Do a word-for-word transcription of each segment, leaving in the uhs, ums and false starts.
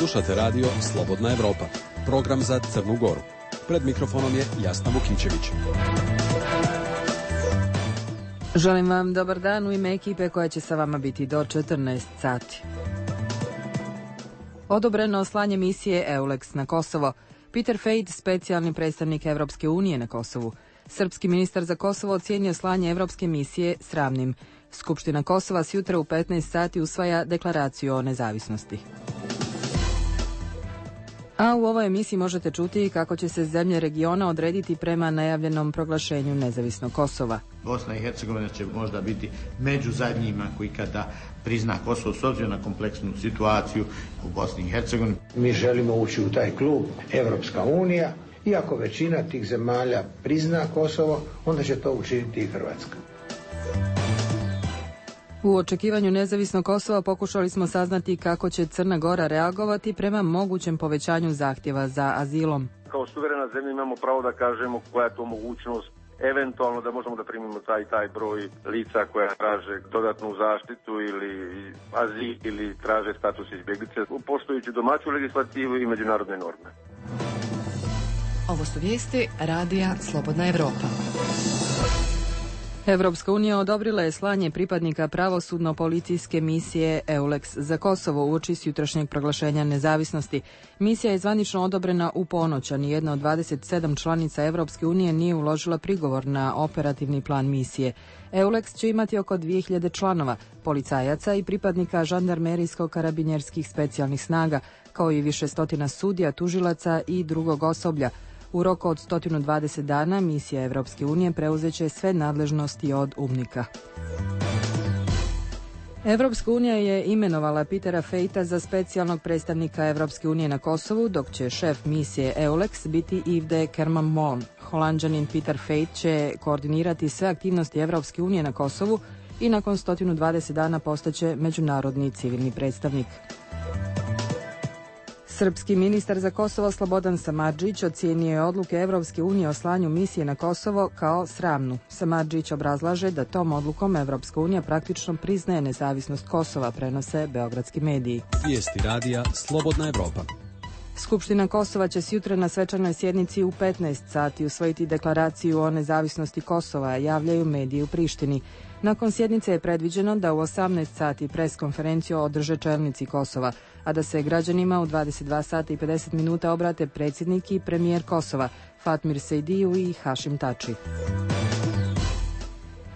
Slušate radio Slobodna Evropa, program za Crnu Goru. Pred mikrofonom je Jasna Vukićević. Želim vam dobar dan u ime ekipe koja će sa vama biti do četrnaest sati. Odobreno slanje misije EULEX na Kosovo. Peter Fejt, specijalni predstavnik Evropske unije na Kosovu. Srpski ministar za Kosovo ocijenio slanje evropske misije sramnim. Skupština Kosova s jutra u petnaest sati usvaja deklaraciju o nezavisnosti. A u ovoj emisiji možete čuti kako će se zemlje regiona odrediti prema najavljenom proglašenju nezavisnog Kosova. Bosna i Hercegovina će možda biti među zadnjima koji kada prizna Kosovo s obzirom na kompleksnu situaciju u Bosni i Hercegovini. Mi želimo ući u taj klub Evropska unija, iako većina tih zemalja prizna Kosovo, onda će to učiniti i Hrvatska. U očekivanju nezavisnog Kosova pokušali smo saznati kako će Crna Gora reagovati prema mogućem povećanju zahtjeva za azilom. Kao suverena zemlja imamo pravo da kažemo koja je to mogućnost, eventualno da možemo da primimo taj taj broj lica koja traže dodatnu zaštitu ili azil ili traže status izbjeglice, poštujući domaću legislativu i međunarodne norme. Ovo su vijesti radija Slobodna Evropa. Evropska unija odobrila je slanje pripadnika pravosudno-policijske misije EULEX za Kosovo uoči s jutrašnjeg proglašenja nezavisnosti. Misija je zvanično odobrena u ponoć, a nijedna od dvadeset sedam članica Evropske unije nije uložila prigovor na operativni plan misije. EULEX će imati oko dvije hiljade članova, policajaca i pripadnika žandarmerijsko-karabinjerskih specijalnih snaga, kao i više stotina sudija, tužilaca i drugog osoblja. U roku od sto dvadeset dana misija Evropske unije preuzeće sve nadležnosti od UNMIK-a. Evropska unija je imenovala Petera Fejta za specijalnog predstavnika Evropske unije na Kosovu, dok će šef misije EULEX biti Yves de Kerman-Mon. Holanđanin Peter Fejt će koordinirati sve aktivnosti Evropske unije na Kosovu i nakon sto dvadeset dana postaće međunarodni civilni predstavnik. Srpski ministar za Kosovo Slobodan Samardžić ocijenio je odluke Evropske unije o slanju misije na Kosovo kao sramnu. Samardžić obrazlaže da tom odlukom Evropska unija praktično priznaje nezavisnost Kosova, prenose beogradski mediji. Vijesti radija Slobodna Evropa. Skupština Kosova će sjutra na svečanoj sjednici u petnaest sati usvojiti deklaraciju o nezavisnosti Kosova, javljaju mediji u Prištini. Nakon sjednice je predviđeno da u osamnaest sati pres konferenciju održe čelnici Kosova, a da se građanima u dvadeset dva sata i pedeset minuta obrate predsjednik i premijer Kosova, Fatmir Sejdiju i Hašim Tači.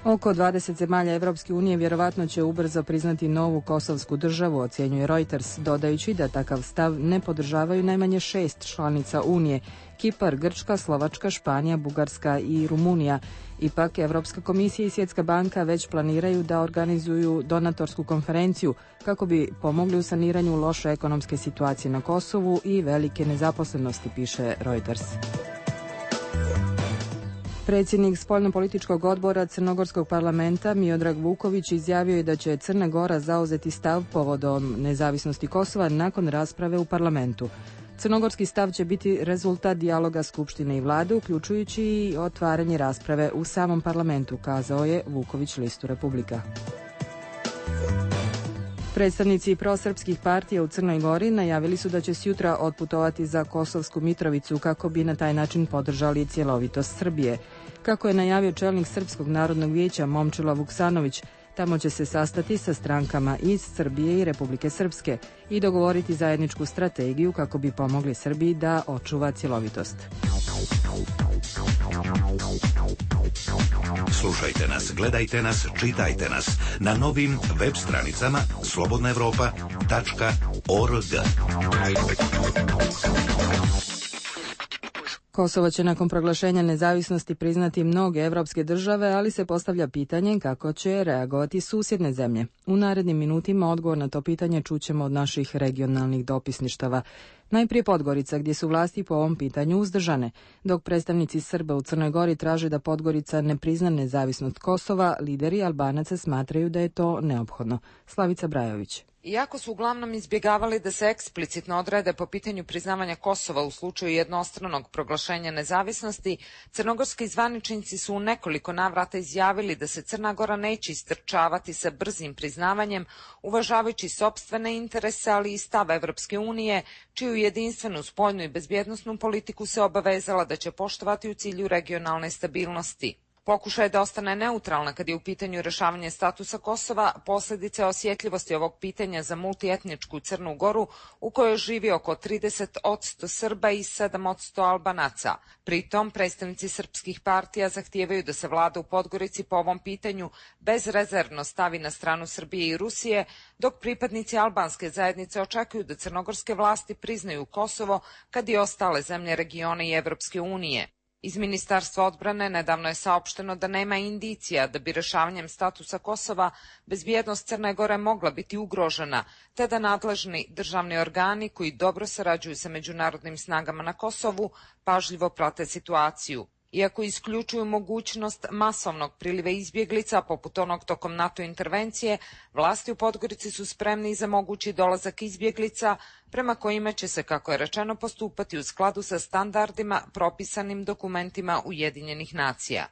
Oko dvadeset zemalja Evropske unije vjerovatno će ubrzo priznati novu kosovsku državu, ocjenjuje Reuters, dodajući da takav stav ne podržavaju najmanje šest članica Unije: Kipar, Grčka, Slovačka, Španija, Bugarska i Rumunija. Ipak, Evropska komisija i Svjetska banka već planiraju da organizuju donatorsku konferenciju kako bi pomogli u saniranju loše ekonomske situacije na Kosovu i velike nezaposlenosti, piše Reuters. Predsjednik spoljnopolitičkog odbora Crnogorskog parlamenta Miodrag Vuković izjavio je da će Crna Gora zauzeti stav povodom nezavisnosti Kosova nakon rasprave u parlamentu. Crnogorski stav će biti rezultat dijaloga Skupštine i vlade, uključujući i otvaranje rasprave u samom parlamentu, kazao je Vuković listu Republika. Predstavnici prosrpskih partija u Crnoj Gori najavili su da će sjutra otputovati za Kosovsku Mitrovicu kako bi na taj način podržali cjelovitost Srbije. Kako je najavio čelnik Srpskog narodnog vijeća Momčilo Vuksanović, tamo će se sastati sa strankama iz Srbije i Republike Srpske i dogovoriti zajedničku strategiju kako bi pomogli Srbiji da očuva cjelovitost. Slušajte nas, gledajte nas, čitajte nas na novim web stranicama slobodna evropa tačka org. Kosovo će nakon proglašenja nezavisnosti priznati mnoge evropske države, ali se postavlja pitanje kako će reagovati susjedne zemlje. U narednim minutima odgovor na to pitanje čućemo od naših regionalnih dopisništava. Najprije Podgorica, gdje su vlasti po ovom pitanju uzdržane. Dok predstavnici Srba u Crnoj Gori traže da Podgorica ne prizna nezavisnost Kosova, lideri Albanaca smatraju da je to neophodno. Slavica Brajović. Iako su uglavnom izbjegavali da se eksplicitno odrede po pitanju priznavanja Kosova u slučaju jednostranog proglašenja nezavisnosti, crnogorski zvaničnici su u nekoliko navrata izjavili da se Crna Gora neće istrčavati sa brzim priznavanjem, uvažavajući sopstvene interese, ali i stav Evropske unije, čiju jedinstvenu spoljnu i bezbjednosnu politiku se obavezala da će poštovati u cilju regionalne stabilnosti. Pokušaj da ostane neutralna kad je u pitanju rešavanje statusa Kosova, posljedice osjetljivosti ovog pitanja za multietničku Crnu Goru, u kojoj živi oko trideset posto Srba i sedam posto Albanaca. Pritom, predstavnici srpskih partija zahtijevaju da se vlada u Podgorici po ovom pitanju bezrezervno stavi na stranu Srbije i Rusije, dok pripadnici albanske zajednice očekuju da crnogorske vlasti priznaju Kosovo kad i ostale zemlje regiona i Evropske unije. Iz Ministarstva odbrane nedavno je saopšteno da nema indicija da bi rešavanjem statusa Kosova bezbjednost Crne Gore mogla biti ugrožena, te da nadležni državni organi koji dobro sarađuju sa međunarodnim snagama na Kosovu pažljivo prate situaciju. Iako isključuju mogućnost masovnog priliva izbjeglica, poput onog tokom NATO intervencije, vlasti u Podgorici su spremni za mogući dolazak izbjeglica, prema kojima će se, kako je rečeno, postupati u skladu sa standardima propisanim dokumentima Ujedinjenih nacija.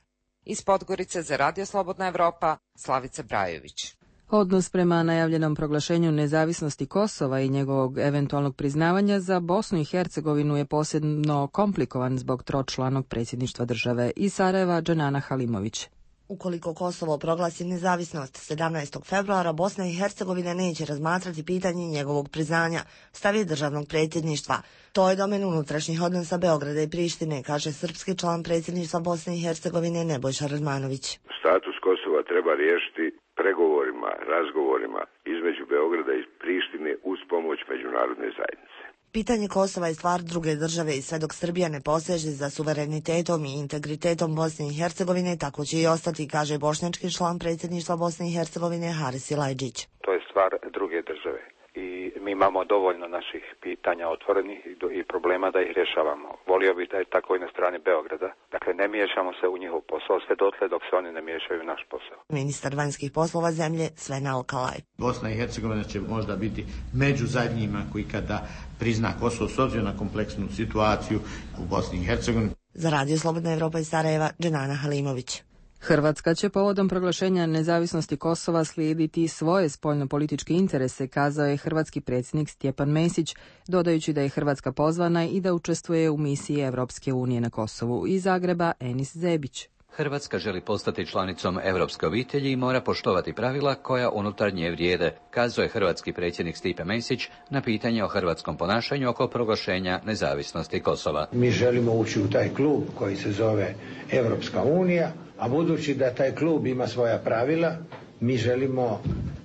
Iz Podgorice za Radio Slobodna Evropa, Slavica Brajović. Odnos prema najavljenom proglašenju nezavisnosti Kosova i njegovog eventualnog priznavanja za Bosnu i Hercegovinu je posebno komplikovan zbog tročlanog predsjedništva države. Iz Sarajeva, Dženana Halimović. Ukoliko Kosovo proglasi nezavisnost sedamnaestog februara, Bosna i Hercegovina neće razmatrati pitanje njegovog priznanja, stav je državnog predsjedništva. To je domen unutrašnjih odnosa Beograda i Prištine, kaže srpski član predsjedništva Bosne i Hercegovine Nebojša Radmanović. Status Kosova treba riješiti pregovorima, razgovorima između Beograda i Prištine uz pomoć međunarodne zajednice. Pitanje Kosova je stvar druge države i sve dok Srbija ne poseže za suverenitetom i integritetom Bosne i Hercegovine, tako će i ostati, kaže bošnjački član predsjedništva Bosne i Hercegovine Haris Ilajđić. To je stvar druge države i mi imamo dovoljno naših pitanja otvorenih i problema da ih rješavamo. Volio bih da je tako i na strani Beograda. Dakle, ne miješamo se u njihov posao sve dotle dok se oni ne miješaju u naš posao. Ministar vanjskih poslova zemlje Sven Alkalaj. Bosna i Hercegovina će možda biti među zadnjima koji kada prizna Kosovo s obzirom na kompleksnu situaciju u Bosni i Hercegovini. Za Radio Slobodna Evropa iz Sarajeva, Dženana Halimović. Hrvatska će povodom proglašenja nezavisnosti Kosova slijediti svoje spoljnopolitičke interese, kazao je hrvatski predsjednik Stjepan Mesić, dodajući da je Hrvatska pozvana i da učestvuje u misiji Evropske unije na Kosovu. Iz Zagreba, Enis Zebić. Hrvatska želi postati članicom europske obitelji i mora poštovati pravila koja unutar nje vrijede, kazao je hrvatski predsjednik Stipe Mesić na pitanje o hrvatskom ponašanju oko proglašenja nezavisnosti Kosova. Mi želimo ući u taj klub koji se zove Evropska unija, a budući da taj klub ima svoja pravila, mi želimo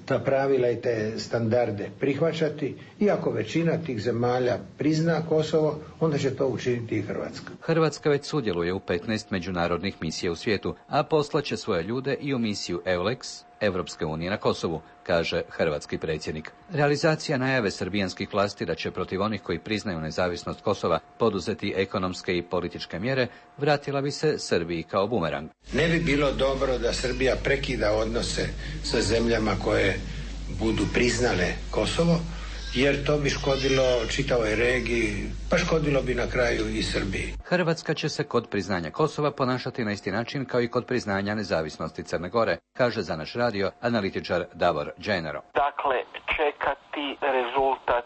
ta pravila i te standarde prihvaćati, iako većina tih zemalja prizna Kosovo, onda će to učiniti i Hrvatska. Hrvatska već sudjeluje u petnaest međunarodnih misija u svijetu, a poslaće svoje ljude i u misiju EULEX, Evropske unije na Kosovu, kaže hrvatski predsjednik. Realizacija najave srbijanskih vlasti da će protiv onih koji priznaju nezavisnost Kosova poduzeti ekonomske i političke mjere vratila bi se Srbiji kao bumerang. Ne bi bilo dobro da Srbija prekida odnose sa zemljama koje budu priznale Kosovo, jer to bi škodilo čitavoj regiji, pa škodilo bi na kraju i Srbiji. Hrvatska će se kod priznanja Kosova ponašati na isti način kao i kod priznanja nezavisnosti Crne Gore, kaže za naš radio analitičar Davor Dženero. Dakle, čekati rezultat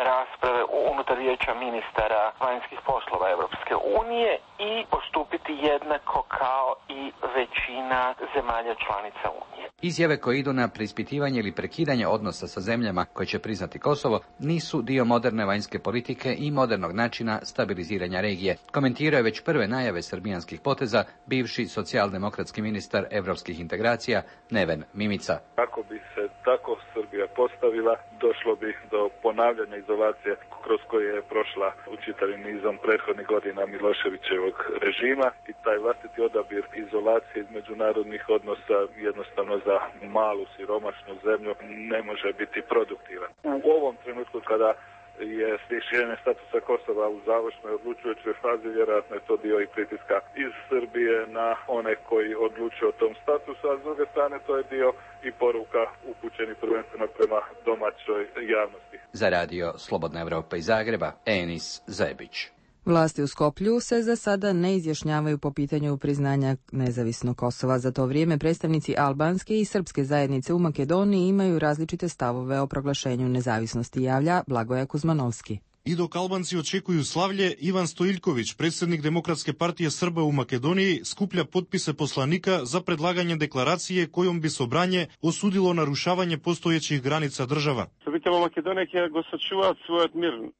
rasprave unutar vijeća ministara vanjskih poslova Evropske unije i postupiti jednako kao i većina zemalja članica Unije. Izjave koje idu na preispitivanje ili prekidanje odnosa sa zemljama koje će priznati Kosovo nisu dio moderne vanjske politike i modernog načina stabiliziranja regije. Komentirao je već prve najave srbijanskih poteza bivši socijaldemokratski ministar evropskih integracija Neven Mimica. Ako bi se tako Srbija postavila, došlo bi do ponavljanja izolacije kroz koje je prošla u čitavim nizom prethodnih godina Miloševićevog režima i taj vlastiti odabir izolacije iz međunarodnih odnosa jednostavno za malu siromašnu zemlju ne može biti produktivan. U ovom trenutku kada je rješenje statusa Kosova u završnoj odlučujućoj fazi, vjerojatno je to dio i pritiska iz Srbije na one koji odlučuju o tom statusu, a s druge strane to je dio i poruka upućeni prvenstveno prema domaćoj javnosti. Za radio Slobodna Evropa iz Zagreba, Enis Zebić. Vlasti u Skoplju se za sada ne izjašnjavaju po pitanju priznanja nezavisnog Kosova. Za to vrijeme predstavnici albanske i srpske zajednice u Makedoniji imaju različite stavove o proglašenju nezavisnosti, javlja Blagoja Kuzmanovski. I dok Albanci očekuju slavlje, Ivan Stojiljković, predsjednik Demokratske partije Srba u Makedoniji, skuplja potpise poslanika za predlaganje deklaracije kojom bi Sobranje osudilo narušavanje postojećih granica država.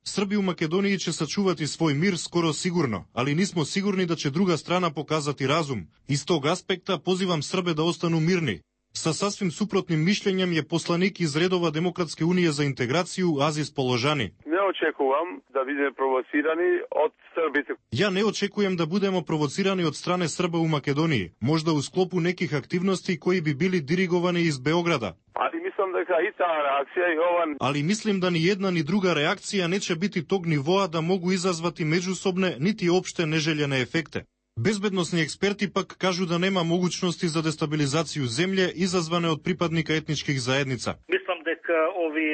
Srbi u Makedoniji će sačuvati svoj mir skoro sigurno, ali nismo sigurni da će druga strana pokazati razum. Iz tog aspekta pozivam Srbe da ostanu mirni. Sa sasvim suprotnim mišljenjem je poslanik iz redova Demokratske unije za integraciju Aziz Položani. Ne očekujem da budemo provocirani od Srbije. Ja ne očekujem da budemo provocirani od strane Srba u Makedoniji, možda u sklopu nekih aktivnosti koji bi bili dirigovani iz Beograda. Ali mislim da i ta reakcija i ovan... Ali mislim da ni jedna ni druga reakcija neće biti tog nivoa da mogu izazvati međusobne niti opšte neželjene efekte. Bezbednosni eksperti pak kažu da nema mogućnosti za destabilizaciju zemlje izazvane od pripadnika etničkih zajednica. Mislim da ovi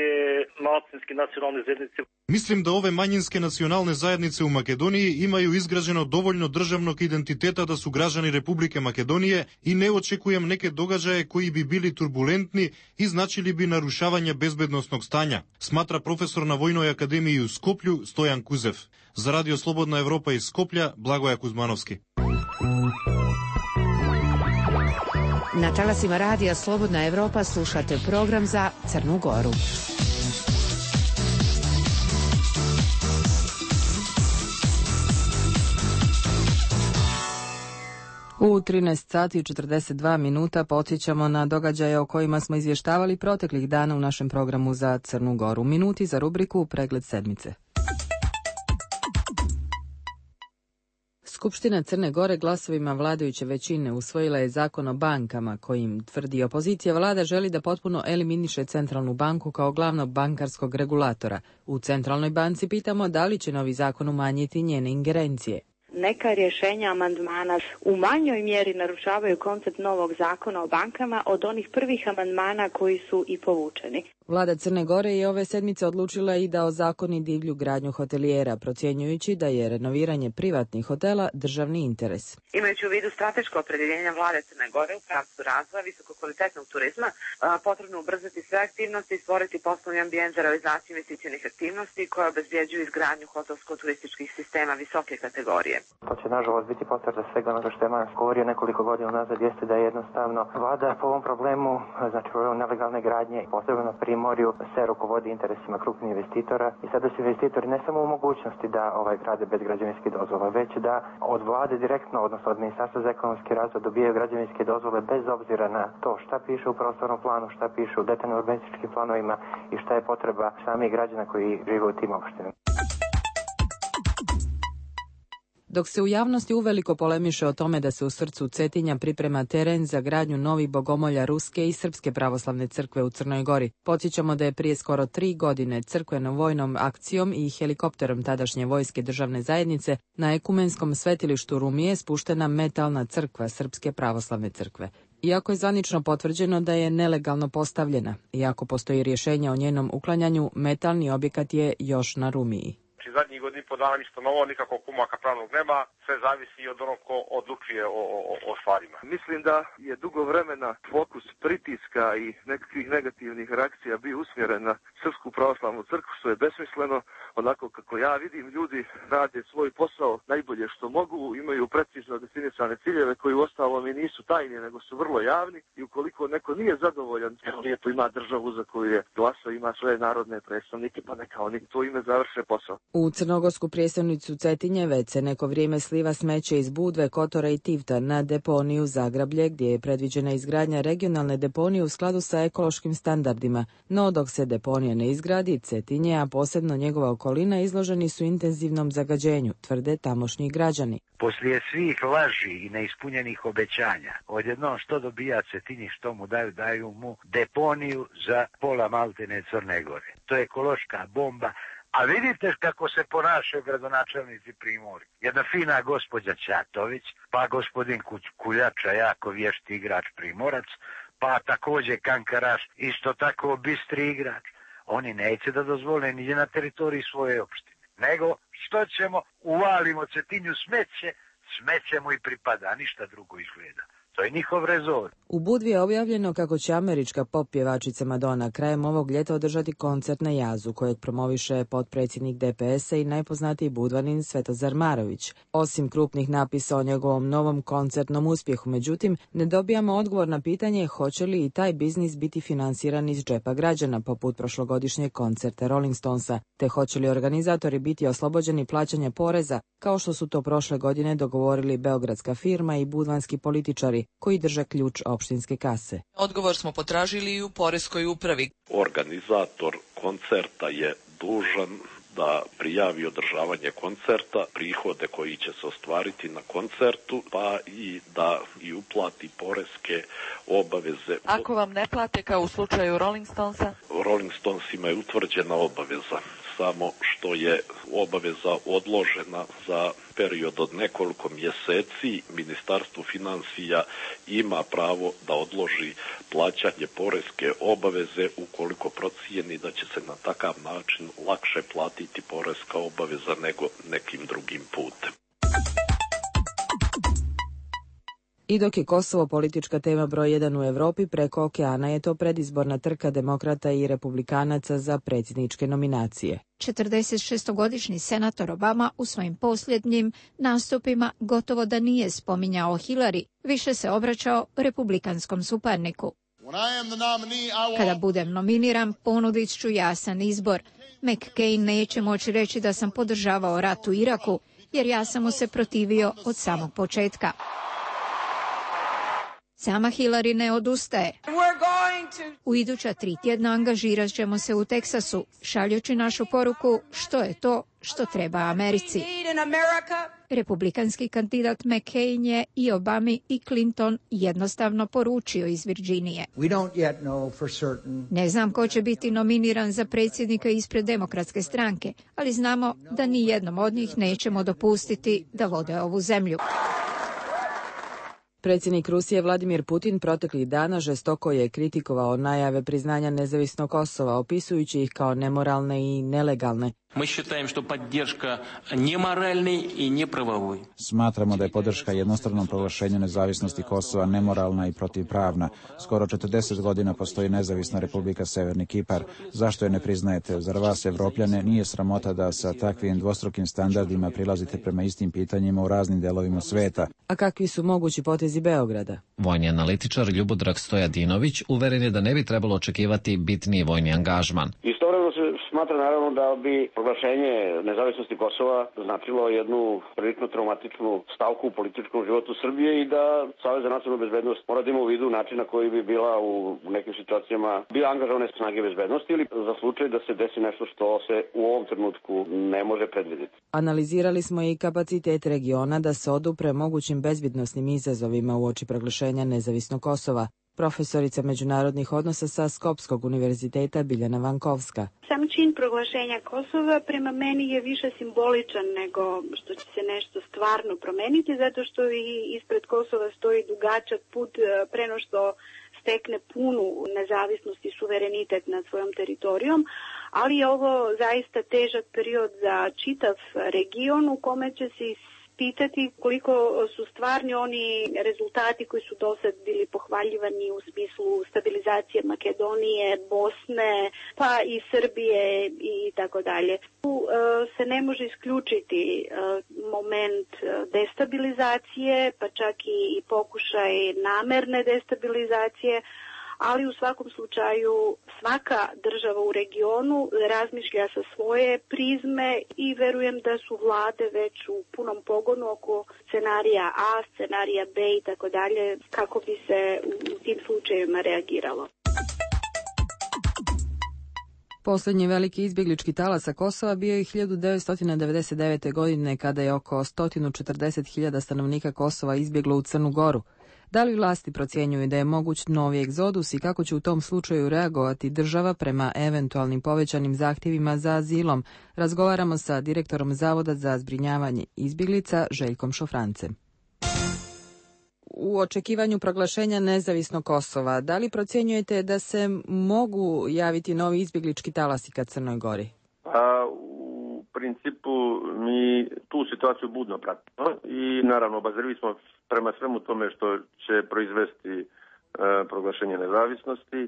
manjinske nacionalne zajednice Mislim da ove manjinske nacionalne zajednice u Makedoniji imaju izgrađeno dovoljno državnog identiteta da su građani Republike Makedonije i ne očekujem neke događaje koji bi bili turbulentni i značili bi narušavanje bezbednosnog stanja, smatra profesor na Vojnoj akademiji u Skoplju Stojan Kuzev. Za Radio Slobodna Evropa iz Skoplja, Blagoja Kuzmanovski. Na talasima Radija Slobodna Evropa slušate program za Crnu Goru. U trinaest sati i četrdeset dva minuta podsjećamo na događaje o kojima smo izvještavali proteklih dana u našem programu za Crnu Goru. Minuti za rubriku Pregled sedmice. Skupština Crne Gore glasovima vladajuće većine usvojila je zakon o bankama kojim, tvrdi opozicija, vlada želi da potpuno eliminiše Centralnu banku kao glavnog bankarskog regulatora. U Centralnoj banci pitamo da li će novi zakon umanjiti njene ingerencije. Neka rješenja amandmana u manjoj mjeri narušavaju koncept novog zakona o bankama od onih prvih amandmana koji su i povučeni. Vlada Crne Gore je ove sedmice odlučila i da ozakoni divlju gradnju hotelijera, procjenjujući da je renoviranje privatnih hotela državni interes. Imajući u vidu strateško opredjeljenje vlade Crne Gore u pravcu razvoja visokokvalitetnog turizma, potrebno ubrzati sve aktivnosti i stvoriti poslovni ambijent za realizaciju investicionih aktivnosti koje obezbjeđuju izgradnju hotelsko-turističkih sistema visoke kategorije. To će nažalost biti potvrda svega onoga što je Manas govorio nekoliko godina nazad, jeste da je jednostavno vlada po ovom problemu, znači problem nelegalne gradnje, posebno na Primorju, se rukovodi interesima krupnih investitora i sada su investitori ne samo u mogućnosti da ovaj grade bez građevinskih dozvola, već da od vlade direktno, odnosno od Ministarstva za ekonomski razvoj dobijaju građevinske dozvole bez obzira na to šta piše u prostornom planu, šta piše u detaljnim urbanističkim planovima i šta je potreba samih građana koji žive u tim opštinama. Dok se u javnosti uveliko polemiše o tome da se u srcu Cetinja priprema teren za gradnju novih bogomolja Ruske i Srpske pravoslavne crkve u Crnoj Gori, podsjećamo da je prije skoro tri godine crkveno-vojnom akcijom i helikopterom tadašnje vojske državne zajednice na ekumenskom svetilištu Rumije spuštena metalna crkva Srpske pravoslavne crkve. Iako je zvanično potvrđeno da je nelegalno postavljena, iako postoji rješenje o njenom uklanjanju, metalni objekat je još na Rumiji. Zadnjih godina i po dana ništa novo, nikakvog pomaka pravnog nema, sve zavisi od onog ko odlučuje o, o, o stvarima. Mislim da je dugo vremena fokus pritiska i nekakvih negativnih reakcija bio usmjeren na Srpsku pravoslavnu crkvu, što je besmisleno. Onako kako ja vidim, ljudi rade svoj posao najbolje što mogu, imaju precizno definisane ciljeve koji u ostalom i nisu tajni, nego su vrlo javni i ukoliko neko nije zadovoljan, lijepo ima državu za koju je glasao, ima svoje narodne predstavnike, pa neka oni to ime završe posao. U crnogorsku prijestolnicu Cetinje već se neko vrijeme sliva smeće iz Budve, Kotora i Tivta na deponiju Zagrablje, gdje je predviđena izgradnja regionalne deponije u skladu sa ekološkim standardima. No dok se deponija ne izgradi, Cetinje, a posebno njegova okolina, izloženi su intenzivnom zagađenju, tvrde tamošnji građani. Poslije svih laži i neispunjenih obećanja, odjednom što dobija Cetinje, što mu daju, daju mu deponiju za pola Maltene Crne Gore. To je ekološka bomba, A vidite kako se ponašaju gradonačelnici Primorja. Jedna fina gospođa Ćatović, pa gospodin Kuljača, jako vješti igrač Primorac, pa također Kankaraš, isto tako bistri igrač. Oni neće da dozvole ni na teritoriji svoje opštine. Nego, što ćemo, uvalimo Cetinju smeće, smeće mu i pripada, ništa drugo izgleda. To je njihov rezon. U Budvi je objavljeno kako će američka pop pjevačica Madonna krajem ovog ljeta održati koncert na Jazu, kojeg promoviše potpredsjednik D P S-a i najpoznatiji budvanin Svetozar Marović. Osim krupnih napisa o njegovom novom koncertnom uspjehu, međutim, ne dobijamo odgovor na pitanje hoće li i taj biznis biti finansiran iz džepa građana, poput prošlogodišnjeg koncerta Rolling Stonesa, te hoće li organizatori biti oslobođeni plaćanja poreza, kao što su to prošle godine dogovorili beogradska firma i budvanski političari, koji drže ključ opštinske kase. Odgovor smo potražili i u poreskoj upravi. Organizator koncerta je dužan da prijavi održavanje koncerta, prihode koji će se ostvariti na koncertu, pa i da i uplati poreske obaveze. Ako vam ne plate kao u slučaju Rolling Stonesa? Rolling Stonesima je utvrđena obaveza, samo što je obaveza odložena za period od nekoliko mjeseci. Ministarstvo financija ima pravo da odloži plaćanje poreske obaveze ukoliko procijeni da će se na takav način lakše platiti poreska obaveza nego nekim drugim putem. I dok je Kosovo politička tema broj jedan u Europi, preko okeana je to predizborna trka demokrata i republikanaca za predsjedničke nominacije. četrdesetšestogodišnji senator Obama u svojim posljednjim nastupima gotovo da nije spominjao Hillary, više se obraćao republikanskom suparniku. Kada budem nominiran, ponudit ću jasan izbor. McCain neće moći reći da sam podržavao rat u Iraku, jer ja sam mu se protivio od samog početka. Sama Hillary ne odustaje. U iduća tri tjedna angažirat ćemo se u Teksasu, šaljući našu poruku što je to što treba Americi. Republikanski kandidat McCain je i Obami i Clinton jednostavno poručio iz Virginije. Ne znam ko će biti nominiran za predsjednika ispred demokratske stranke, ali znamo da ni jednom od njih nećemo dopustiti da vode ovu zemlju. Predsjednik Rusije Vladimir Putin proteklih dana žestoko je kritikovao najave priznanja nezavisnog Kosova, opisujući ih kao nemoralne i nelegalne. Smatramo da je podrška jednostranom proglašenju nezavisnosti Kosova nemoralna i protivpravna. Skoro četrdeset godina postoji nezavisna Republika Severni Kipar. Zašto je ne priznajete? Zar vas, Evropljane, nije sramota da sa takvim dvostrukim standardima prilazite prema istim pitanjima u raznim delovima sveta? A kakvi su mogući potezi Beograda? Vojni analitičar Ljubodrag Stojadinović uveren je da ne bi trebalo očekivati bitniji vojni angažman. Istovremeno se smatra naravno da bi proglašenje nezavisnosti Kosova značilo jednu prilično traumatičnu stavku u političkom životu Srbije i da Savez za nacionalnu bezbednost mora da ima u vidu način na koji bi bila u nekim situacijama bila angažovane snage bezbednosti ili za slučaj da se desi nešto što se u ovom trenutku ne može predvidjeti. Analizirali smo i kapacitet regiona da se odupre mogućim bezbednosnim izazovima uoči proglašenja nezavisnog Kosova. Profesorica međunarodnih odnosa sa Skopskog univerziteta Biljana Vankovska. Sam čin proglašenja Kosova prema meni je više simboličan nego što će se nešto stvarno promeniti, zato što i ispred Kosova stoji dugačak put preno što stekne punu nezavisnost i suverenitet nad svojom teritorijom, ali je ovo zaista težak period za čitav region u kome će se pitati koliko su stvarni oni rezultati koji su do sad bili pohvaljivani u smislu stabilizacije Makedonije, Bosne, pa i Srbije i tako dalje. Tu se ne može isključiti moment destabilizacije, pa čak i pokušaj namerne destabilizacije, ali u svakom slučaju svaka država u regionu razmišlja sa svoje prizme i verujem da su vlade već u punom pogonu oko scenarija A, scenarija B i tako dalje, kako bi se u tim slučajevima reagiralo. Posljednji veliki izbjeglički talas sa Kosova bio je hiljadu devetsto devedeset devete. godine kada je oko sto četrdeset hiljada stanovnika Kosova izbjeglo u Crnu Goru. Da li vlasti procjenjuju da je moguć novi egzodus i kako će u tom slučaju reagovati država prema eventualnim povećanim zahtjevima za azilom? Razgovaramo sa direktorom Zavoda za zbrinjavanje izbjeglica Željkom Šofrancem. U očekivanju proglašenja nezavisnog Kosova, da li procjenjujete da se mogu javiti novi izbjeglički talasi ka Crnoj Gori? A, u principu mi tu situaciju budno pratimo i naravno obazrivi smo prema svemu tome što će proizvesti e, proglašenje nezavisnosti.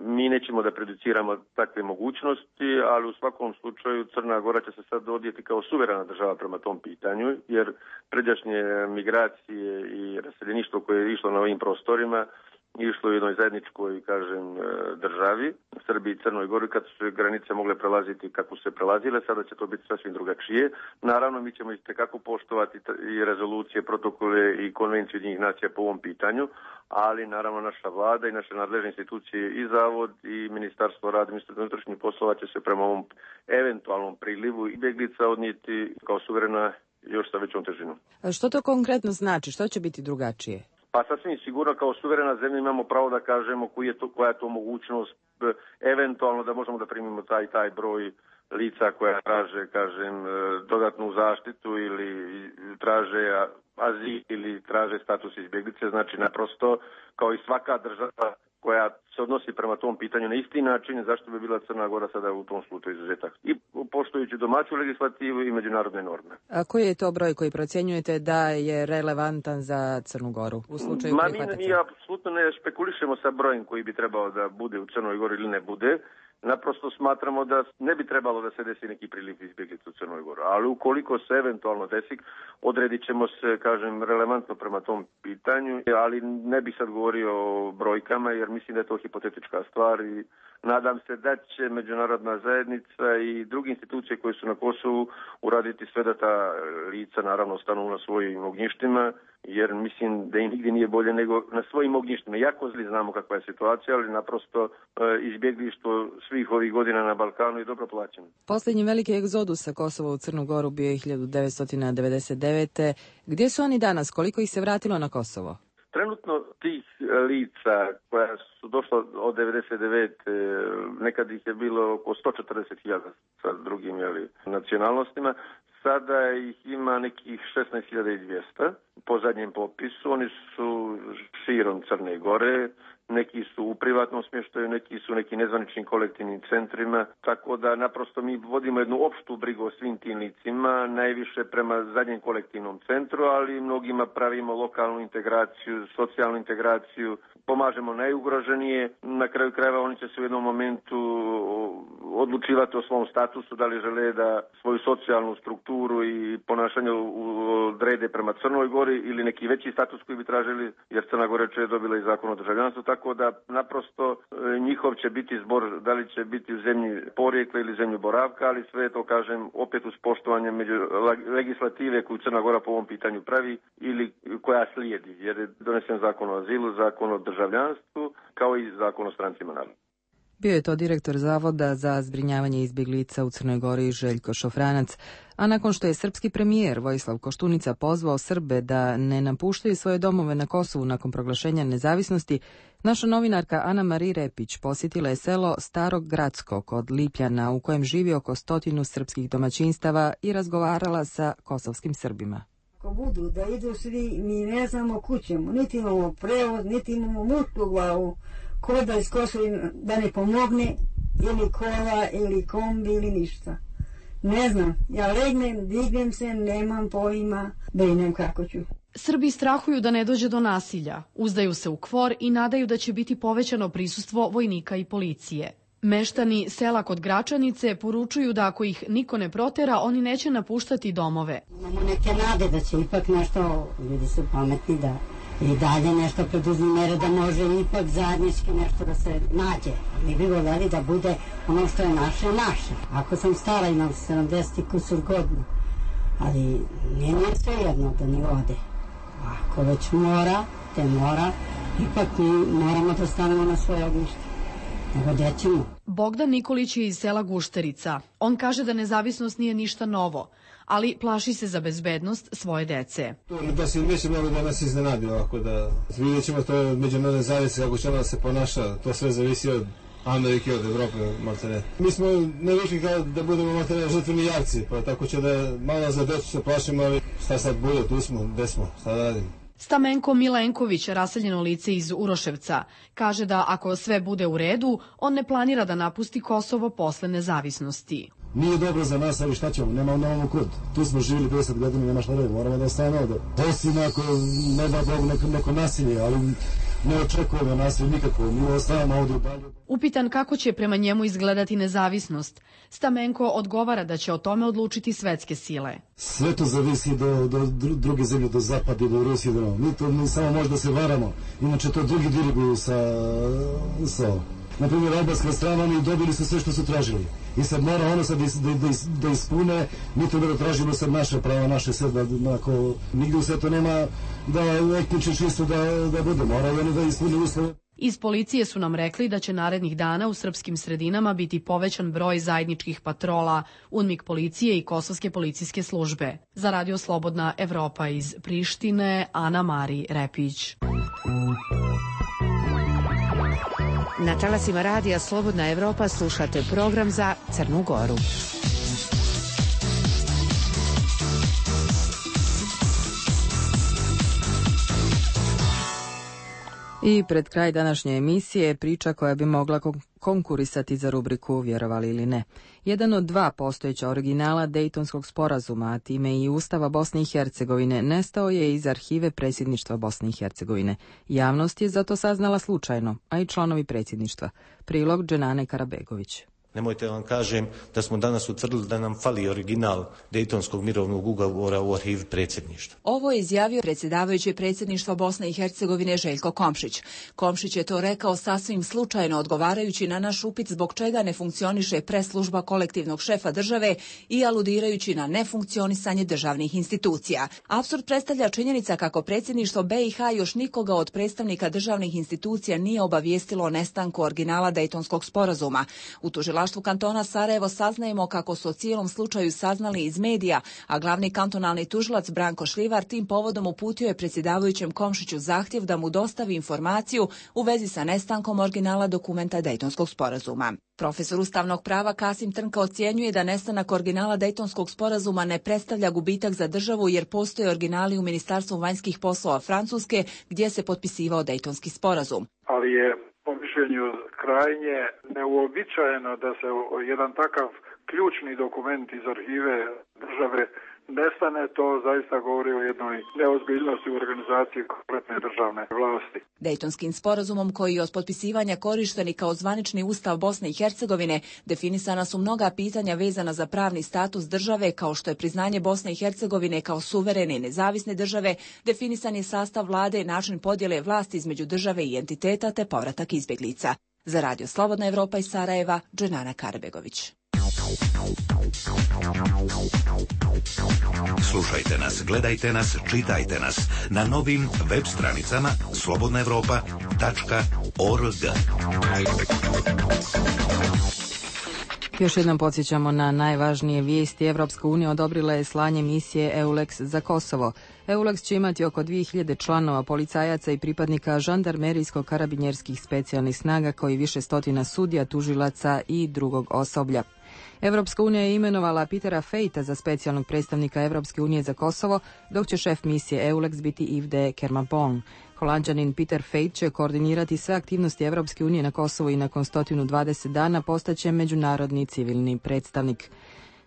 Mi nećemo da prejudiciramo takve mogućnosti, ali u svakom slučaju Crna Gora će se sad odjeti kao suverena država prema tom pitanju, jer pređašnje migracije i raseljeništvo koje je išlo na ovim prostorima išlo u jednoj zajedničkoj, kažem, državi, Srbiji i Crnoj Gori, kad su granice mogle prelaziti kako su se prelazile, sada će to biti sasvim drugačije. Naravno, mi ćemo itekako poštovati i rezolucije, protokole i konvenciju Ujedinjenih nacija po ovom pitanju, ali naravno naša vlada i naše nadležne institucije i Zavod i Ministarstvo rada i Ministarstvo unutrašnjih poslova će se prema ovom eventualnom prilivu izbjeglica odnijeti kao suverena još sa većom težinom. A što to konkretno znači? Što će biti drugačije? Pa sasvim sigurno kao suverena zemlja imamo pravo da kažemo koji je to, koja je to mogućnost eventualno da možemo da primimo taj taj broj lica koja traže, kažem, dodatnu zaštitu ili traže azil ili traže status izbjeglice. Znači naprosto kao i svaka država koja se odnosi prema tom pitanju na isti način, zašto bi bila Crna Gora sada u tom slučaju izuzetak. I poštujući domaću legislativu i međunarodne norme. A koji je to broj koji procjenjujete da je relevantan za Crnu Goru u slučaju prihvatanja? Ma mi, mi apsolutno ne špekulišemo sa brojem koji bi trebao da bude u Crnoj Gori ili ne bude. Naprosto smatramo da ne bi trebalo da se desi neki priliv izbjeglica u Crnoj Gori. Ali ukoliko se eventualno desi, odredit ćemo se, kažem, relevantno prema tom pitanju, ali ne bih sad govorio o brojkama jer mislim da je to hipotetička stvar i nadam se da će međunarodna zajednica i druge institucije koje su na Kosovu uraditi sve da ta lica naravno stanu na svojim ognjištima, jer mislim da im nigdje nije bolje nego na svojim ognjištima. Jako zli znamo kakva je situacija, ali naprosto izbjeglištvo svih ovih godina na Balkanu je dobro plaćeno. Posljednji veliki egzodus sa Kosova u Crnu Goru bio je hiljadu devetsto devedeset devete. Gdje su oni danas? Koliko ih se vratilo na Kosovo? Trenutno tih lica koja su došla od devedeset devete nekad ih je bilo oko sto četrdeset hiljada sa drugim jeli, nacionalnostima. Sada ih ima nekih šesnaest hiljada dvjesto po zadnjem popisu. Oni su širom Crne Gore, neki su u privatnom smještaju, neki su u nekim nezvaničnim kolektivnim centrima, tako da naprosto mi vodimo jednu opštu brigu o svim tim licima, najviše prema zadnjem kolektivnom centru, ali mnogima pravimo lokalnu integraciju, socijalnu integraciju, pomažemo najugroženije, na kraju krajeva oni će se u jednom momentu odlučivati o svom statusu, da li žele da svoju socijalnu strukturu i ponašanje odrede prema Crnoj Gori ili neki veći status koji bi tražili, jer Crna Gora je dobila i zakon o državljanstvu, tako da naprosto njihov će biti zbor, da li će biti u zemlji porijekla ili zemlju boravka, ali sve to kažem opet uz poštovanje među legislative koju Crna Gora po ovom pitanju pravi ili koja slijedi, jer je donesen zakon o azilu, zakon o državljanstvu, kao i zakon o strancima naravno. Bio je to direktor Zavoda za zbrinjavanje izbjeglica u Crnoj Gori Željko Šofranac, a nakon što je srpski premijer Vojislav Koštunica pozvao Srbe da ne napuštaju svoje domove na Kosovu nakon proglašenja nezavisnosti, naša novinarka Ana Mari Repić posjetila je selo Starog Gradsko kod Lipljana u kojem živi oko stotinu srpskih domaćinstava i razgovarala sa kosovskim Srbima. Ako budu da idu svi, mi ne znamo kućemo, niti imamo prevoz, niti imamo mutku glavu, ko da iz Kosova da ne pomogne, ili kola, ili kombi, ili ništa. Ne znam, ja legnem, dignem se, nemam pojma, brinem kako ću. Srbi strahuju da ne dođe do nasilja, uzdaju se u kvor i nadaju da će biti povećano prisustvo vojnika i policije. Meštani sela kod Gračanice poručuju da ako ih niko ne protera, oni neće napuštati domove. Imamo neke nade da će ipak nešto, ljudi su pametni da i dalje nešto preduzme mere da može ipak zajednički nešto da se nađe. Mi bi voljeli da bude ono što je naše, naše. Ako sam stara, imam sedamdeset kusur godina, ali nije nije sve jedno da ni ode. Ako već mora, te mora, ipak mi moramo da stanemo na svoje ognjište. Bogdan Nikolić je iz sela Gušterica. On kaže da nezavisnost nije ništa novo, ali plaši se za bezbednost svoje dece. Da se neće mnogo da nas iznenadi ovako, da vidjet ćemo to međunarodne zajednice, kako će ona se ponaša, to sve zavisi od Amerike, od Evrope, maltene. Mi smo ne došli kao da budemo maltene žrtveni jarci, pa tako će da malo za decu se plašimo, ali šta sad bude, tu smo, gde smo, šta da radimo. Stamenko Milenković, raseljeno lice iz Uroševca, kaže da ako sve bude u redu, on ne planira da napusti Kosovo posle nezavisnosti. Nije dobro za nas, ali šta ćemo, nema nemamo kud. Tu smo živjeli pedeset godina, nema šta da, moramo da ostanemo ovde. Osim ako ne da Bogu neko, neko nasilje, ali ne očekujemo nasilje nikako, mi ostavamo ovde u dalje. Upitan kako će prema njemu izgledati nezavisnost, Stamenko odgovara da će o tome odlučiti svetske sile. Sve to zavisi do, do druge zemlje, do Zapada i do Rusije. Do... Mi to mi samo možda se varamo, inače to drugi diriguju sa... sa... Naprimjer, albanska strana, oni dobili su sve što su tražili. I sad mora ono sad da, da, da ispune, mi to da tražimo sad naše prava, naše sve, da ako nigde u svetu nema da etnički čisto da, da bude, mora i oni da ispune uslove. Iz policije su nam rekli da će narednih dana u srpskim sredinama biti povećan broj zajedničkih patrola, UNMIK policije i kosovske policijske službe. Za Radio Slobodna Evropa iz Prištine, Ana Mari Repić. Na talasima Radija Slobodna Evropa slušate program za Crnu Goru. I pred kraj današnje emisije priča koja bi mogla konkurisati za rubriku Vjerovali ili ne. Jedan od dva postojeća originala Dejtonskog sporazuma, a time i Ustava Bosne i Hercegovine, nestao je iz arhive predsjedništva Bosne i Hercegovine. Javnost je zato saznala slučajno, a i članovi predsjedništva. Prilog Dženane Karabegović. Nemojte vam kažem da smo danas utvrdili da nam fali original Dejtonskog mirovnog ugovora u arhivi predsjedništva. Ovo je izjavio predsjedavajući predsjedništva Bosne i Hercegovine Željko Komšić. Komšić je to rekao sasvim slučajno, odgovarajući na naš upit zbog čega ne funkcioniše preslužba kolektivnog šefa države i aludirajući na nefunkcionisanje državnih institucija. Apsurd predstavlja činjenica kako predsjedništvo be i ha još nikoga od predstavnika državnih institucija nije obavijestilo o nestanku originala Dejtonskog sporazuma. U tužilaštvu kantona Sarajevo saznajemo kako su o cijelom slučaju saznali iz medija, a glavni kantonalni tužilac Branko Šljivar tim povodom uputio je predsjedavajućem Komšiću zahtjev da mu dostavi informaciju u vezi sa nestankom originala dokumenta Dejtonskog sporazuma. Profesor ustavnog prava Kasim Trnka ocjenjuje da nestanak originala Dejtonskog sporazuma ne predstavlja gubitak za državu jer postoje originali u Ministarstvu vanjskih poslova Francuske gdje se potpisivao Dejtonski sporazum. Ali je po mišljenju krajnje neuobičajeno da se jedan takav ključni dokument iz arhive države nestane, to zaista govori o jednoj neozbiljnosti u organizaciji kompletne državne vlasti. Dejtonskim sporazumom koji je od potpisivanja korišten kao zvanični ustav Bosne i Hercegovine definisana su mnoga pitanja vezana za pravni status države kao što je priznanje Bosne i Hercegovine kao suverene i nezavisne države, definisan je sastav vlade, način podjele vlasti između države i entiteta te povratak izbjeglica. Za Radio Slobodna Evropa iz Sarajeva, Dženana Karabegović. Slušajte nas, gledajte nas, čitajte nas na novim web stranicama slobodna evropa tačka org. Još jednom podsjećamo na najvažnije vijesti. Evropska unija odobrila je slanje misije EULEX za Kosovo. EULEX će imati oko dvije hiljade članova, policajaca i pripadnika žandarmerijsko-karabinjerskih specijalnih snaga, koji više stotina sudija, tužilaca i drugog osoblja. Evropska unija je imenovala Petera Fejta za specijalnog predstavnika Evropske unije za Kosovo, dok će šef misije EULEX biti Yves de Kermapon. Holanđanin Peter Fejt će koordinirati sve aktivnosti Evropske unije na Kosovu i nakon sto dvadeset dana postaće međunarodni civilni predstavnik.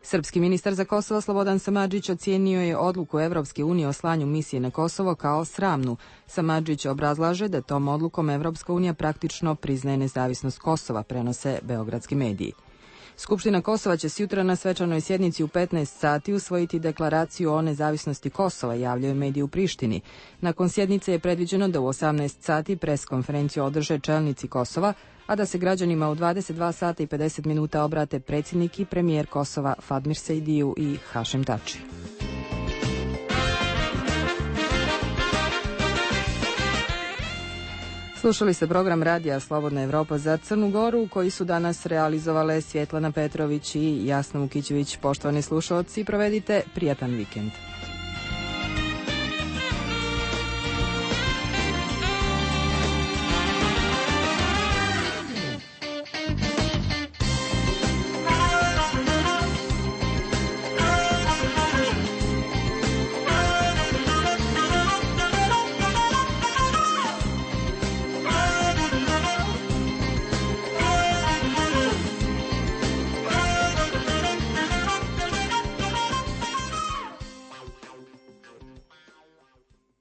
Srpski ministar za Kosovo Slobodan Samardžić ocijenio je odluku Evropske unije o slanju misije na Kosovo kao sramnu. Samardžić obrazlaže da tom odlukom Evropska unija praktično priznaje nezavisnost Kosova, prenose beogradski mediji. Skupština Kosova će sutra na svečanoj sjednici u petnaest sati usvojiti deklaraciju o nezavisnosti Kosova, javljaju mediji u Prištini. Nakon sjednice je predviđeno da u osamnaest sati pres konferenciju održe čelnici Kosova, a da se građanima u dvadeset dva sata i pedeset minuta obrate predsjednik i premijer Kosova Fadmir Sejdiju i Hašem Tači. Slušali ste program Radija Slobodna Evropa za Crnu Goru, koji su danas realizovale Svjetlana Petrović i Jasna Vukićević. Poštovani slušalci, provedite prijatan vikend.